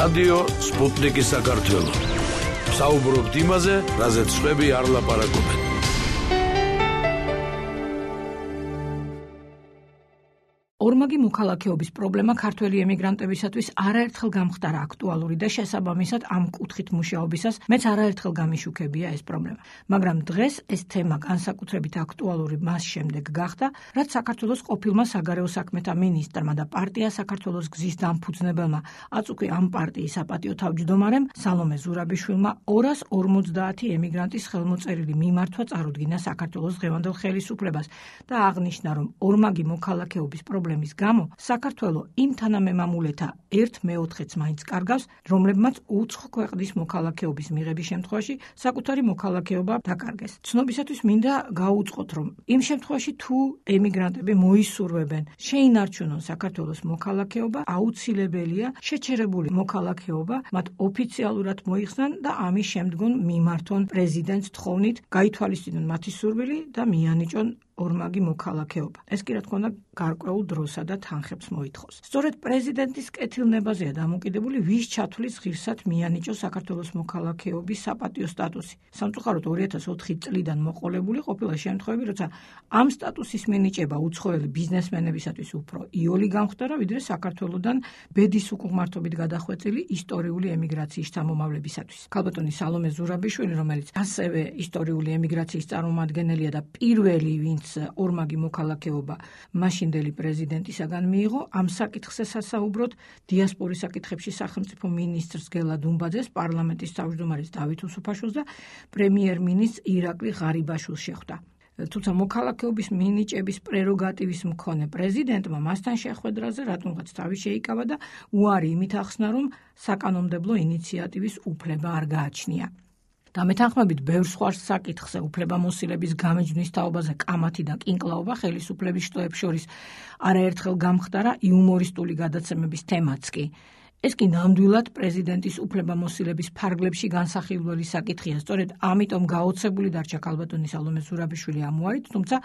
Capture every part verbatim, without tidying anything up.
რადიო სპუტნიკი საქართველო. საუბრობთ იმაზე, რაზეც სხვები არ ლაპარაკობენ. ორმაგი მოქალაქეობის პრობლემა ქართველი ემიგრანტებისათვის არაერთხელ გამხდარა აქტუალური და შესაბამისად ამ კუთხით მუშაობისას მეც არაერთხელ გამიშუქებია ეს პრობლემა. მაგრამ დღეს ეს თემა განსაკუთრებით აქტუალური მას შემდეგ გახდა, რაც საქართველოს ყოფილმა საგარეო საქმეთა მინისტრმა და პარტია საქართველოს გზის დამფუძნებელმა, აწ უკვე ამ პარტიის საპატიო თავმჯდომარემ სალომე ზურაბიშვილმა ორას ორმოცდაათი ემიგრანტის ხელმოწერილი მიმართვა წარუდგინა საქართველოს დღევანდელ ხელისუფლებას და აღნიშნა, რომ ორმაგი მოქალაქეობის პრობლემა პრობლემის გამო საქართველო იმ თანამემამულეთა ერთ მეოთხედს მაინც კარგავს, რომლებმაც უცხო ქვეყნის მოქალაქეობის მიღების შემთხვევაში საკუთარი მოქალაქეობა დაკარგეს. ცნობისათვის მინდა გაუწყოთ, რომ იმ შემთხვევაში თუ ემიგრანტები მოისურვებენ შეინარჩუნონ საქართველოს მოქალაქეობა, აუცილებელია შეჩერებული მოქალაქეობა მათ ოფიციალურად მოიხსნან და ამის შემდგომ მიმართონ პრეზიდენტს თხოვნით, გაითვალისწინონ მათი სურვილი და მიანიჭონ ორმაგი მოქალაქეობა. ეს კი რა თქმა უნდა გარკვეულ დროსა და თანხებს მოითხოვს. სწორედ პრეზიდენტის კეთილნებაზეა დამოკიდებული, ვის ჩათვლის ღირსად მიანიჭოს საქართველოს მოქალაქეობის საპატიო სტატუსი. სამწუხაროდ ორი ათას ოთხი წლიდან მოყოლებული ყოფილა შემთხვევები, როცა ამ სტატუსის მინიჭება უცხოელი ბიზნესმენებისათვის უფრო იოლი გამხდარა, ვიდრე საქართველოდან ბედის უკუღმართობით გადახვეწილი ისტორიული ემიგრაციის წარმომავლებისათვის. ქალბატონი სალომე ზურაბიშვილი, რომელიც ასევე ისტორიული ემიგრაციის წარმომადგენელია და პირველი, ვინც ორმაგი მოქალაქეობა მაშინდელი პრეზიდენტისაგან მიიღო, ამ საკითხზე სასაუბროდ დიასპორის საკითხებში სახელმწიფო მინისტრს გელა დუმბაძეს, პარლამენტის თავმჯდომარეს დავით უსუფაშვილს და პრემიერ-მინისტრს ირაკლი ღარიბაშვილს შეხვდა. თუმცა მოქალაქეობის მინიჭების პრეროგატივის მქონე პრეზიდენტმა მასთან შეხვედრაზე რატომღაც თავი შეიკავა და უარი იმით ახსნა, რომ საკანონმდებლო ინიციატივის უფლება არ გააჩნია. და მეთანხმებით ბევრ სხვა საკითხზე უფლებამოსილების გამეჯვნის თაობაზე კამათი და კინკლაობა ხელისუფლების შტოებს შორის არაერთხელ გამხდარა იუმორისტული გადაცემების თემაც კი. ეს კი ნამდვილად პრეზიდენტის უფლებამოსილების ფარგლებში განსახილველი საკითხია. სწორედ ამიტომ გაოცებული დარჩა ქალბატონი სალომე ზურაბიშვილი ამ უარით, თუმცა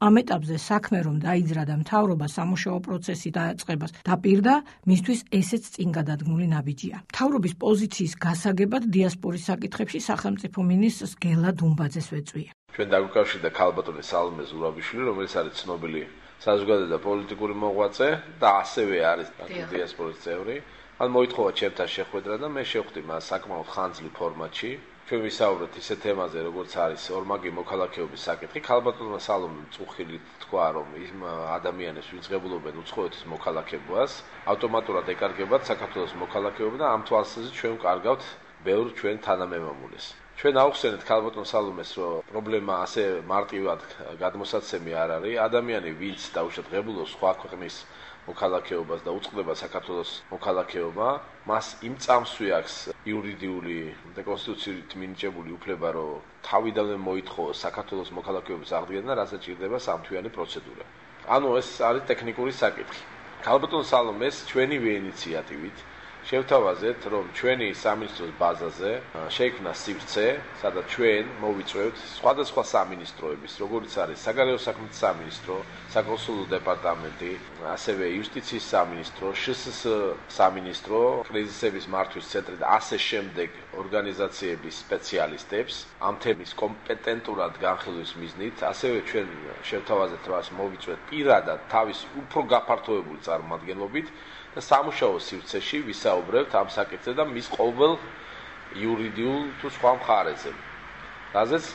ამ ეტაპზე საქმე რომ დაიძრა და მთავრობა სამუშაო პროცესი დაწყებას დაპირდა, მისთვის ესეც წინ გადადგმული ნაბიჯია. მთავრობის პოზიციის გასაგებად დიასპორის საკითხებში სახელმწიფო მინისტრს გელა დუმბაძეს ვეწვია. ჩვენ დაგვიკავშირდა ქალბატონი სალომე ზურაბიშვილი, რომელიც არის ცნობილი საზოგადო და პოლიტიკური მოღვაწე და ასევე არის დიასპორის წევრი. ან მოითხოვა ჩემთან შეხვედრა და მე შევხვდი მას საკმაოდ ხანძლი ფორმატში. ჩვენ ვისაუბრეთ ისეთ თემაზე, როგორც არის ორმაგი მოქალაქეობის საკითხი. ქალბატონმა სალომემ წუხილით თქვა, რომ იმ ადამიანებს, ვინც ღებულობენ უცხოეთის მოქალაქეობას, ავტომატურად ეკარგებათ საქართველოს მოქალაქეობა და ამ თვალსაზრისით ჩვენ ვკარგავთ ბევრ ჩვენ თანამემამულეს. ჩვენ ავხსენეთ ქალბატონ სალომეს, რომ პრობლემა ასე მარტივად გადმოსაცემი არ არის. ადამიანი, ვინც დაუშვათ ღებულობს სხვა ქვეყნის მოქალაქეობას და უწყდება საქართველოს მოქალაქეობა, მას იმ წამსვე აქვს იურიდიული და კონსტიტუციით მინიჭებული უფლება, რომ თავიდანვე მოითხოვოს საქართველოს მოქალაქეობის აღდგენა, რასაც ჭირდება სამთვიანი პროცედურა. ანუ ეს არის ტექნიკური საკითხი. ქალბატონ სალომეს ჩვენივე ინიციატივით შევთავაზეთ, რომ ჩვენი სამინისტროს ბაზაზე შეიქმნა სივრცე, სადაც ჩვენ მოვიწვევთ სხვადასხვა სამინისტროების, როგორც არის საგარეო საქმეთა სამინისტრო, საკონსულო დეპარტამენტი, ასევე იუსტიციის სამინისტრო, შსს სამინისტრო, კრიზისების მართვის ცენტრი და ასე შემდეგ ორგანიზაციების სპეციალისტებს ამ თემის კომპეტენტურად განხილვის მიზნით, ასევე ჩვენ შევთავაზეთ, რომ მოვიწვევთ პირადად თავის უფრო გაფართოებული წარმომადგენლობით და სამუშაო სივრცეში ვისაუბრებთ ამ საკითხზე და მის ყოველ იურიდიულ თუ სხვა მხარეზე. რაზეც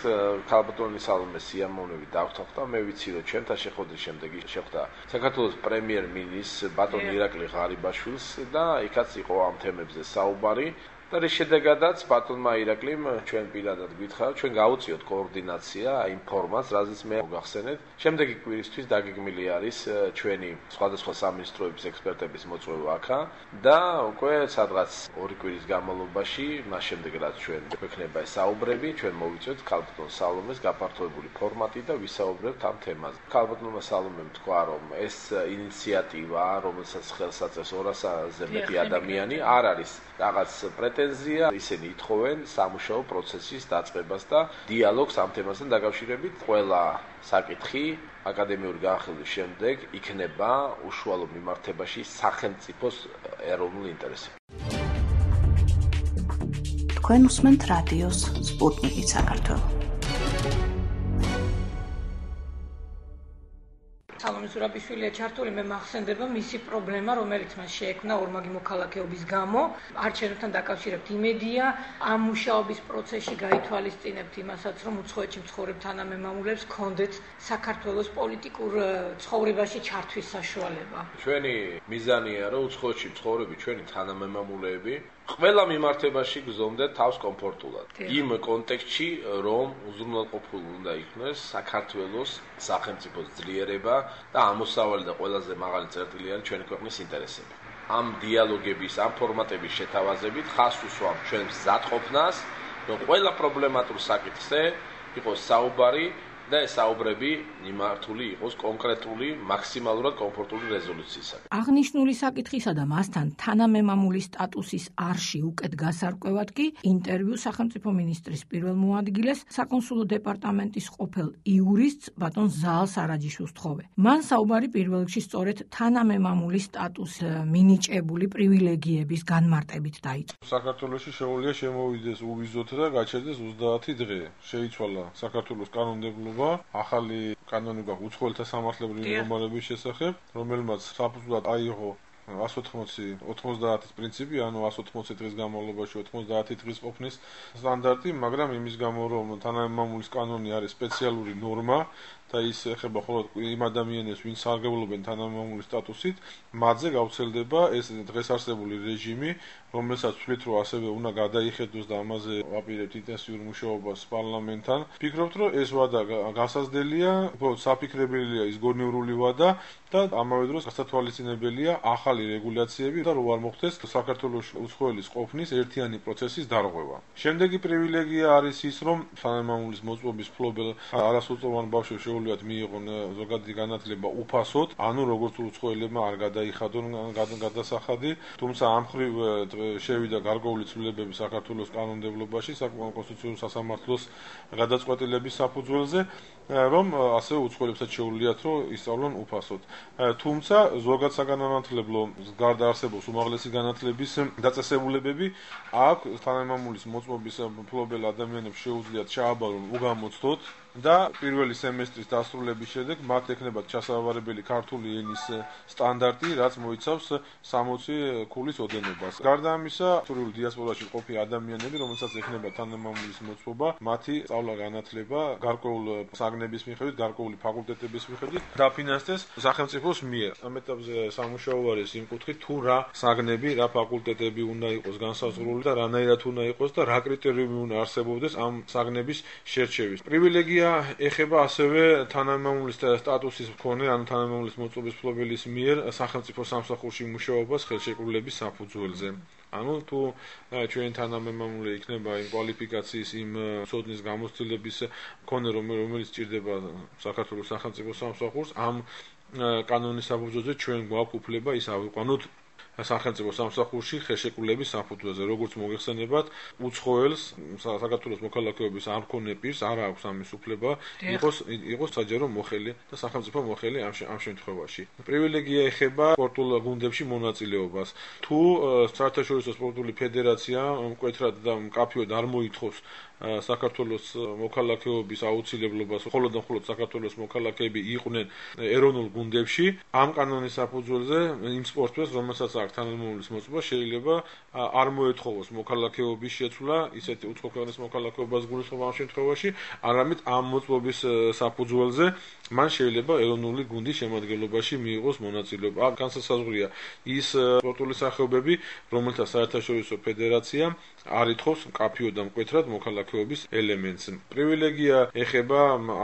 ქალბატონი სალომე სიამოვნებით დავთხოვდა, მე ვიცი, რომ ჩვენთან შეხვედრის შემდეგ შეხვდა საქართველოს პრემიერ-მინისტრს ბატონ ირაკლი ღარიბაშვილს და იქაც იყო ამ თემებზე საუბარი. და რის შედეგადაც ბატონმა ირაკლიმ ჩვენ პირადად გვითხრა, ჩვენ გავუწიოთ კოორდინაცია იმ ფორმატს, რაზეც მე გავხსენეთ. შემდეგი კვირისთვის დაგეგმილი არის ჩვენი სხვადასხვა სამინისტროების ექსპერტების მოწვევა აქა და უკვე სადღაც ორი კვირის განმავლობაში, მას შემდეგ რაც ჩვენ გვექნება ეს საუბრები, ჩვენ მოვიწვევთ ქალბატონ სალომეს გაფართოებული ფორმატი და ვისაუბრებთ ამ თემაზე. ქალბატონმა სალომემ თქვა, რომ ეს ინიციატივა, რომელსაც ხელს აწევს ორასზე მეტი ადამიანი, არ არის რაღაც პრეტენზია, ისინი ითხოვენ სამუშაო პროცესის დაწყებას და დიალოგს ამ თემასთან დაკავშირებით. ყველა საკითხი აკადემიური განხილვის შემდეგ იქნება უშუალო მიმართებაში სახელმწიფოს ეროვნულ ინტერესებში. თქვენ უსმენთ რადიოს სპუტნიკი საქართველო. სალომე ზურაბიშვილია ჩართული, მე მახსენდება მისი პრობლემა, რომელიც მას შეექმნა ორმაგი მოქალაქეობის გამო. არჩევნებთან დაკავშირებით იმედია, ამ მუშაობის პროცესში გაითვალისწინებთ იმასაც, რომ უცხოეთში მცხოვრებ თანამემამულებს ჰქონდეთ საქართველოს პოლიტიკურ ცხოვრებაში ჩართვის საშუალება. ჩვენი მიზანია, რომ უცხოეთში მცხოვრები ჩვენი თანამემამულეები ყველა მიმართებაში გზომდეთ თავს კომფორტულად. იმ კონტექსტში, რომ უზრუნველყოფილი უნდა იქნეს საქართველოს სახელმწიფოს ძლიერება და ამოსავალი და ყველაზე მაღალი წერტილი არის ჩვენი ქვეყნის ინტერესები. ამ დიალოგების, ამ ფორმატების შეთავაზებით ხას უსვამ ჩვენ მზადყოფნას, რომ ყველა პრობლემატურ საკითხზე იყოს საუბარი და ეს საუბრები მიმართული იყოს კონკრეტული, მაქსიმალურად კომფორტული რეზოლუციისაკენ. აღნიშნული საკითხისა და მასთან თანამემამულის სტატუსის არში უკეთ გასარკვევად კი ინტერვიუ სახელმწიფო მინისტრის პირველ მოადგილეს საკონსულო დეპარტამენტის ყოფილ იურისტს ბატონ ზაალ სარაჯიშვილს თხოვე. მან საუბარი პირველ რიგში სწორედ თანამემამულის სტატუსს მინიჭებული პრივილეგიების განმარტებით დაიწყო. საქართველოში შეუძლია შემოვიდეს უვიზოთ და გაჩერდეს ოცდაათი დღე. შეიცვალა საქართველოს კანონმდებლობა, ახალი კანონი გაქვს უცხოელთა სამართლებრივი ნორმალების შესახებ, რომელმაც საფუძვლად აიღო εκατს ოთხმოცი ოთხმოცდაათის პრინციპი, ანუ εκατს ოთხმოცი დღის განმავლობაში ოცდაათი დღის ყოფნის სტანდარტი, მაგრამ იმის გამო, რომ თანამემამულის კანონი არის სპეციალური ნორმა და ის ეხება მხოლოდ იმ ადამიანებს, ვინც სარგებლობენ თანამემამულის სტატუსით, მათზე გავრცელდება ეს დღეს არსებული რეჟიმი, რომელსაც ვთვლით, რომ ასევე უნდა გადაიხედოს და ამაზე ვაპირებთ ინტენსიურ მუშაობას პარლამენტთან. ვფიქრობთ, რომ ეს ვადა გასაზრდელია, უბრალოდ საფიქრებელია ის გონივრული ვადა და ამავე დროს გასათვალისწინებელია ახალი რეგულაციები და რო არ მოხდეს საქართველოს უცხოელის ყოფნის ერთიანი პროცესის დარღვევა. შემდეგი პრივილეგია არის ის, რომ თანამემამულის მოწმობის მფლობელ არასრულწლოვან ბავშვებს შეუძლიათ მიიღონ ზოგადი განათლება უფასოდ, ანუ როგორც უცხოელებმა არ გადაიხადონ გადასახადი, თუმცა ამ მხრივ შევიდა გარკვეული ცვლილებები საქართველოს კანონმდებლობაში, საკონსტიტუციურ სასამართლოს გადაწყვეტილების საფუძველზე, რომ ასევე უცხოელებსაც შეუძლიათ, რომ ისწავლონ უფასოდ. თუმცა ზოგად საგანმანათლებლო გარდა არსებობს უმაღლესი განათლების დაწესებულებები, აქ თანამემამულის მოწმობის მფლობელ ადამიანებს შეუძლიათ ჩააბარონ უგამოცდოდ და პირველი სემესტრის დასრულების შემდეგ მათ ექნებათ ჩასავარებელი ქართული ენის სტანდარტი, რაც მოიცავს სამოცი ქულის ოდენობას. გარდა ამისა, თურქულ დიასპორაში მყოფი ადამიანები, რომელსაც ექნება თანამემამულის მოწმობა, მათი სწავლა-განათლება გარკვეულ საგნების მიხედვით, გარკვეული ფაკულტეტების მიხედვით დაფინანსდეს სახელმწიფოს მიერ. ამ ეტაპზე სამუშაო არის იმ კუთხით, თუ რა საგნები, რა ფაკულტეტები უნდა იყოს განსაზღვრული და რანაირად უნდა იყოს და რა კრიტერიუმი უნდა არსებობდეს ამ საგნების შერჩევის. პრივილეგია ეხება ასევე თანამემამულის სტატუსის მქონე, ანუ თანამემამულის მოწმობის მფლობელის მიერ სახელმწიფო სამსახურში მუშაობას ხელშეკრულების საფუძველზე. ანუ თუ ჩვენი თანამემამულე იქნება იმ კვალიფიკაციის, იმ ცოდნის გამოცდილების მქონე, რომელიც სჭირდება საქართველოს სახელმწიფო სამსახურს, ამ კანონის საფუძველზე ჩვენ გვაქვს უფლება ის ავიყვანოთ სახელმწიფო სამსახურში ხელშეკრულების საფუძველზე, როგორც მოგეხსენებათ, უცხოელს საქართველოს მოქალაქეობის არ მქონე პირს არ აქვს ამის უფლება, იყოს იყოს საჯარო მოხელი და სახელმწიფო მოხელი ამ ამ შემთხვევაში. პრივილეგია ეხება სპორტულ გუნდებში მონაწილეობას. თუ საერთაშორისო სპორტული ფედერაცია მკვეთრად და მკაფიოდ არ მოითხოვს საქართველოს მოქალაქეობის აუცილებლობას, მხოლოდ და მხოლოდ საქართველოს მოქალაქეები იყვნენ ეროვნულ გუნდებში, ამ კანონის საფუძველზე იმ სპორტსმენს, რომელსაც აქვს თანამემამულის მოწმობა, შეიძლება არ მოეთხოვოს მოქალაქეობის შეცვლა, ისეთი უცხო ქვეყნის მოქალაქეობას გულისხმობ ამ შემთხვევაში, არამედ ამ მოწმობის საფუძველზე მან შეიძლება ეროვნული გუნდის შემადგენლობაში მიიღოს მონაწილეობა. აქ განსაზღვრია ის სპორტული სახეობები, რომელთა საერთაშორისო ფედერაცია არ ითხოვს მკაფიოდ და მკვეთრად მოქალაქეობის ელემენტს. პრივილეგია ეხება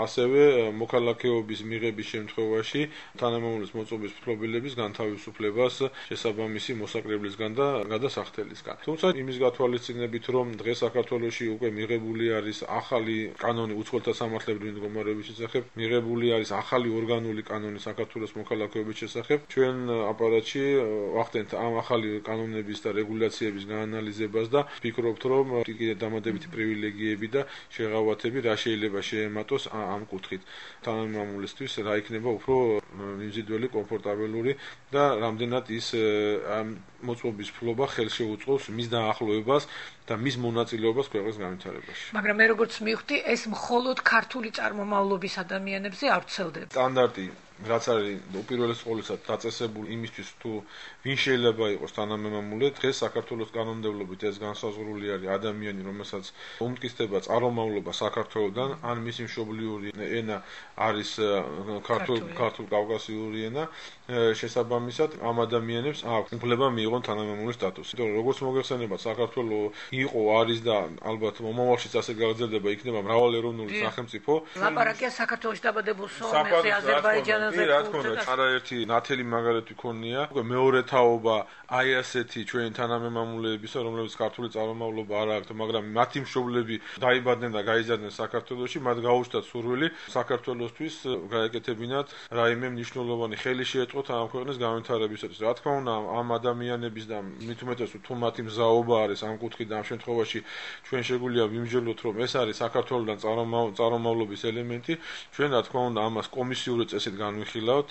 ასევე მოქალაქეობის მიღების შემთხვევაში თანამემამულის მოწმობის მფლობელების განთავისუფლებას შესაბამისი მოსაკრებლისგან და გადასახდელისგან. თუმცა იმის გათვალისწინებით, რომ დღეს საქართველოში უკვე მიღებული არის ახალი კანონი უცხოელთა სამართლებრივი მდგომარეობის შესახებ, მიღებული არის ახალი ორგანული კანონი საქართველოს მოქალაქეობის შესახებ, ჩვენ აპარატში ვახდენთ ამ ახალი კანონების და რეგულაციების გაანალიზებას და ვფიქრობთ, რომ კიდე დამატებითი პრივილეგიები და შეღავათები რა შეიძლება შეემატოს ამ კუთხით. თანამემამულისთვის რა იქნება უფრო მიმზიდველი, კომფორტაბელური და რამდენად ის მოწყობის ფლობა ხელში უწყობს მის დაახლოებას და მის მონაწილეობას ქვეყნის განვითარებაში. მაგრამ მე როგორც მივხვდი, ეს მხოლოდ ქართული წარმომავლობის ადამიანებზე არ ვრცელდება. სტანდარტი რაც არის უპირველეს ყოვლისა დაწესებული იმისთვის თუ ვინ შეიძლება იყოს თანამემამულე, დღეს საქართველოს კანონმდებლობით ეს განსაზღვრული არის ადამიანი, რომელსაც უმტკიცდება წარმომავლობა საქართველოსდან, ან მისი მშობლიური ენა არის ქართულ კავკასიური ენა, შესაბამისად ამ ადამიანებს აქვს უფლება მიიღონ თანამემამულის სტატუსი. იმიტომ რომ როგორც მოგეხსენებათ, საქართველოს იყო, არის და ალბათ მომავალშიც ასე გაგრძელდება, იქნება მრავალეროვნული სახელმწიფო. ლაპარაკია საქართველოს დაბადებულ სომეხზე, აზერბაიჯანაზე. რა თქმა უნდა, არაერთი ნათელი მაგალითი ქონია. მეორე თაობა აი ასეთი ჩვენი თანამემამულეებისა, რომლებიც ქართული წარმომავლობა არ აქვთ, მაგრამ მათი მშობლები დაიბადნენ და გაიზარდნენ საქართველოში, მათ გაუჩნდათ სურვილი საქართველოსთვის გაეკეთებინათ რაიმე მნიშვნელოვანი ხელი შეეწყოთ ამ ქვეყნის განვითარებისათვის. რა თქმა უნდა, ამ ადამიანების და მით უმეტეს თუ მათი მზაობა არის ამ კუთხით, ამ შემთხვევაში ჩვენ შეგვიძლია ვიმსჯელოთ, რომ ეს არის საქართველოსთან წარმომავლობის ელემენტი. ჩვენ რა თქმა უნდა ამას კომისიური წესით განვიხილავთ.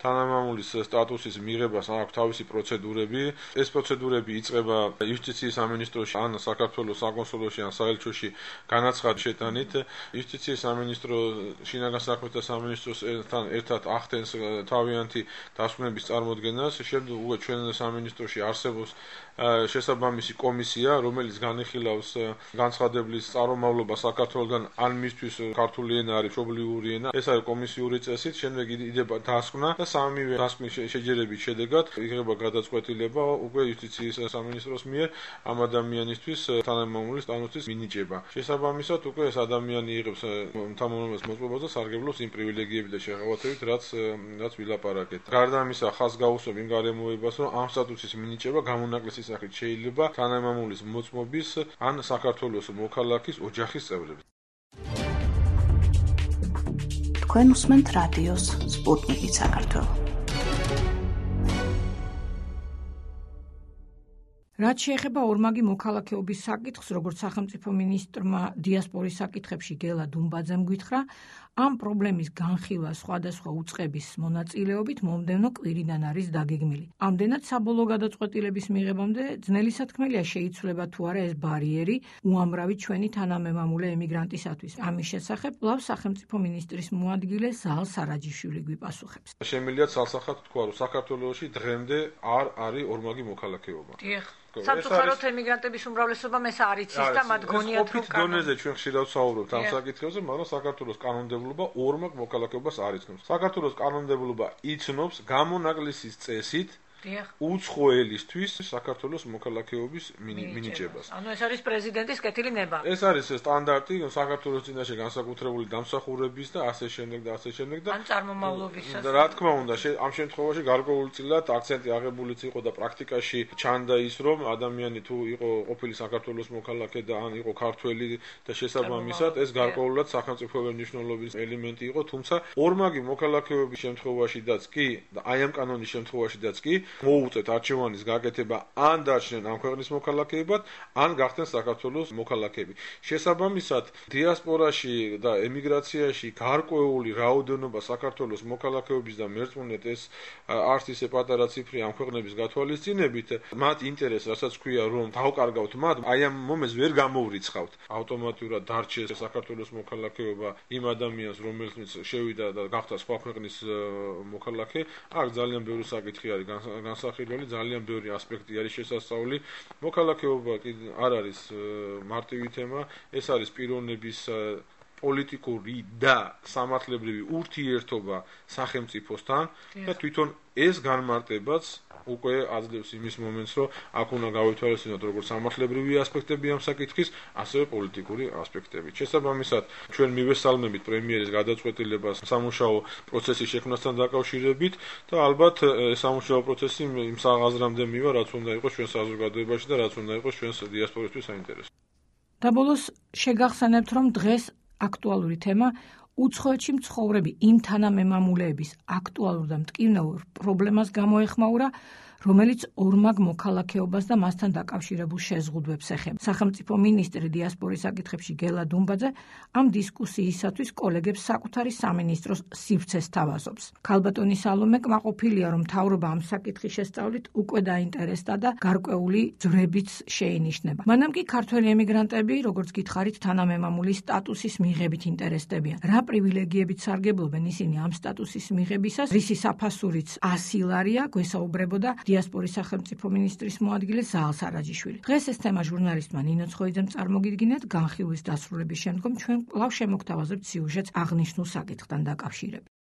თანამემამულის სტატუსის მიღებას აქვს თავისი პროცედურები. ეს პროცედურები იწყება იუსტიციის სამინისტროში, ან საქართველოს საკონსულოში, ან საელჩოში განაცხადის შეტანით. იუსტიციის სამინისტრო შინაგან საქმეთა სამინისტროსთან ერთად ახდენს თავიანთი დასკვნების წარმოდგენას. შემდეგ უკვე ჩვენ სამინისტროში არსებობს შესაბამისი კომისია, რომელიც განიხილავს განცხადებლის წარმომავლობა საქართველოსგან, ან მისთვის ქართული ენა არის მშობლიური ენა. ეს არის კომისიური წესით. შემდეგ იდება დასკვნა და სამივე დასკვნის შეჯერების შედეგად იღება გადაწყვეტილება უკვე იუსტიციის სამინისტროს მიერ ამ ადამიანისთვის თანამემამულის სტატუსის მინიჭება. შესაბამისად უკვე ეს ადამიანი იღებს თანამემამულის მოწყობას და სარგებლობს იმ პრივილეგიებით და შეღავათებით, რაც რაც ვილაპარაკეთ. გარდა ამისა, ხაზს გაუსვებ იმ გარემოებას, რომ ამ სტატუსის მინიჭება გამონაკლისის სახით შეიძლება თანამემამულის მოწმობის ან საქართველოს მოქალაქის ოჯახის წევრებს. თქვენ უსმენთ რადიოს სპუტნიკი საქართველო. რაც შეეხება ორმაგი მოქალაქეობის საკითხს, როგორც სახელმწიფო მინისტრმა დიასპორის საკითხებში გელა დუმბაძემ გითხრა, ამ პრობლემის განხილვა სხვადასხვა უწყების მონაწილეობით მომდევნო კვირიდან არის დაგეგმილი. ამდენად საბოლოო გადაწყვეტილების მიღებამდე ძნელი სათქმელია შეიცვლება თუ არა ეს ბარიერი უამრავი ჩვენი თანამემამულე ემიგრანტისათვის. ამის შესახებ კვლავ სახელმწიფო მინისტრის მოადგილე ზალ სარაჯიშვილი გვიპასუხებს. შემიძლია ცალსახად თქვა, რომ საქართველოში დღემდე არ არის ორმაგი მოქალაქეობა. დიახ. სამწუხაროდ ემიგრანტების უმრავლესობამ ეს არ იცის და მათ გონიათ რომ კანონით დონეზე ჩვენ ხშირად ვსაუბრობთ ამ საკითხებზე, მაგრამ საქართველოს კანონმდებლობა ორმაგ მოქალაქეობას არ იცნობს. საქართველოს კანონმდებლობა იცნობს გამონაკლისის წესით უცხოელისთვის საქართველოს მოქალაქეობის მინიჭებას. ანუ ეს არის პრეზიდენტის კეთილი ნება. ეს არის სტანდარტი საქართველოს წინაშე განსაკუთრებული დამსახურების და ასე შემდეგ და ასე შემდეგ და ან წარმომავლობისას. რა თქმა უნდა, ამ შემთხვევაში გარკვეულწილად აქცენტი აღებულიც იყო და პრაქტიკაში ჩანდა ის, რომ ადამიანი თუ იყო ყოფილი საქართველოს მოქალაქე და ან იყო ქართველი და შესაბამისად ეს გარკვეულად სახელმწიფოებრივი მნიშვნელობის ელემენტი იყო, თუმცა ორმაგი მოქალაქეობის შემთხვევაშიდაც კი და აი ამ კანონის შემთხვევაშიდაც კი მოუწევთ არჩევანის გაკეთება ან დარჩნენ ამ ქვეყნის მოქალაქეებად, ან გახდნენ საქართველოს მოქალაქეები. შესაბამისად, დიასპორაში და ემიგრაციაში გარკვეული რაოდენობა საქართველოს მოქალაქეობის და მერწმუნეთ ეს არც ისე პატარა ციფრი ამ ქვეყნების გათვალისწინებით, მათ ინტერესს, რასაც ქვია, რომ დავკარგავთ მათ, აი ამ მომენტს ვერ გამოვრიცხავთ. ავტომატურად დარჩეს საქართველოს მოქალაქეობა იმ ადამიანს, რომელიც შევიდა და გახდა სხვა ქვეყნის მოქალაქე. აქ ძალიან ბევრი საკითხი არის განსახილველი, ძალიან ბევრი ასპექტი არის შესასწავლი. მოქალაქეობა არ არის მარტივი თემა, ეს არის პიროვნების პოლიტიკური და სამართლებრივი ურთიერთობა სახელმწიფოსთან და თვითონ ეს განმარტებაც უკვე აძლევს იმის მომენტს, რომ აქ უნდა გავითვალისწინოთ როგორც სამართლებრივი ასპექტები ამ საკითხის, ასევე პოლიტიკური ასპექტები. შესაბამისად, ჩვენ მივესალმებით პრემიერის გადაწყვეტილებას სამუშაო პროცესის შექმნასთან დაკავშირებით და ალბათ სამუშაო პროცესი იმ საღაზრამდე მივა, რაც უნდა იყოს ჩვენ საზოგადოებაში და რაც უნდა იყოს ჩვენს დიასპორისთვის საინტერესო. და ბოლოს შეგახსენებთ, რომ დღეს აქტუალური თემა უცხოეთში მცხოვრები იმ თანამემამულეების აქტუალურ და მტკივნეულ პრობლემას გამოეხმაურა, რომელიც ორმაგ მოქალაქეობას და მასთან დაკავშირებულ შეზღუდვებს ეხება. სახელმწიფო მინისტრი დიასპორის საკითხებში გელა დუმბაძე ამ დისკუსიისათვის კოლეგებს საკუთარი სამინისტროს სივრცეს თავაზობს. ქალბატონი სალომე კმაყოფილია, რომ მთავრობა ამ საკითხის შესწავლით უკვე დაინტერესდა და გარკვეული ძვრებიც შეინიშნება. მანამ კი ქართველი ემიგრანტები, როგორც გითხარით, თანამემამული სტატუსის მიღებით ინტერესდებიან. რა პრივილეგიებით სარგებლობენ ისინი ამ სტატუსის მიღებისას, რისი საფასურიც ასი ლარია, გვესაუბრებოდა დიასპორის სახელმწიფო მინისტრის მოადგილე ზაალ სარაჯიშვილი. დღეს ეს თემა ჟურნალისტმა ნინო ცხოიძემ წარმოგიდგინეთ, განხილვის დასრულების შემდგომ ჩვენ კვლავ შემოგთავაზებთ სიუჟეტს აღნიშნულ საკითხთან დაკავშირებით.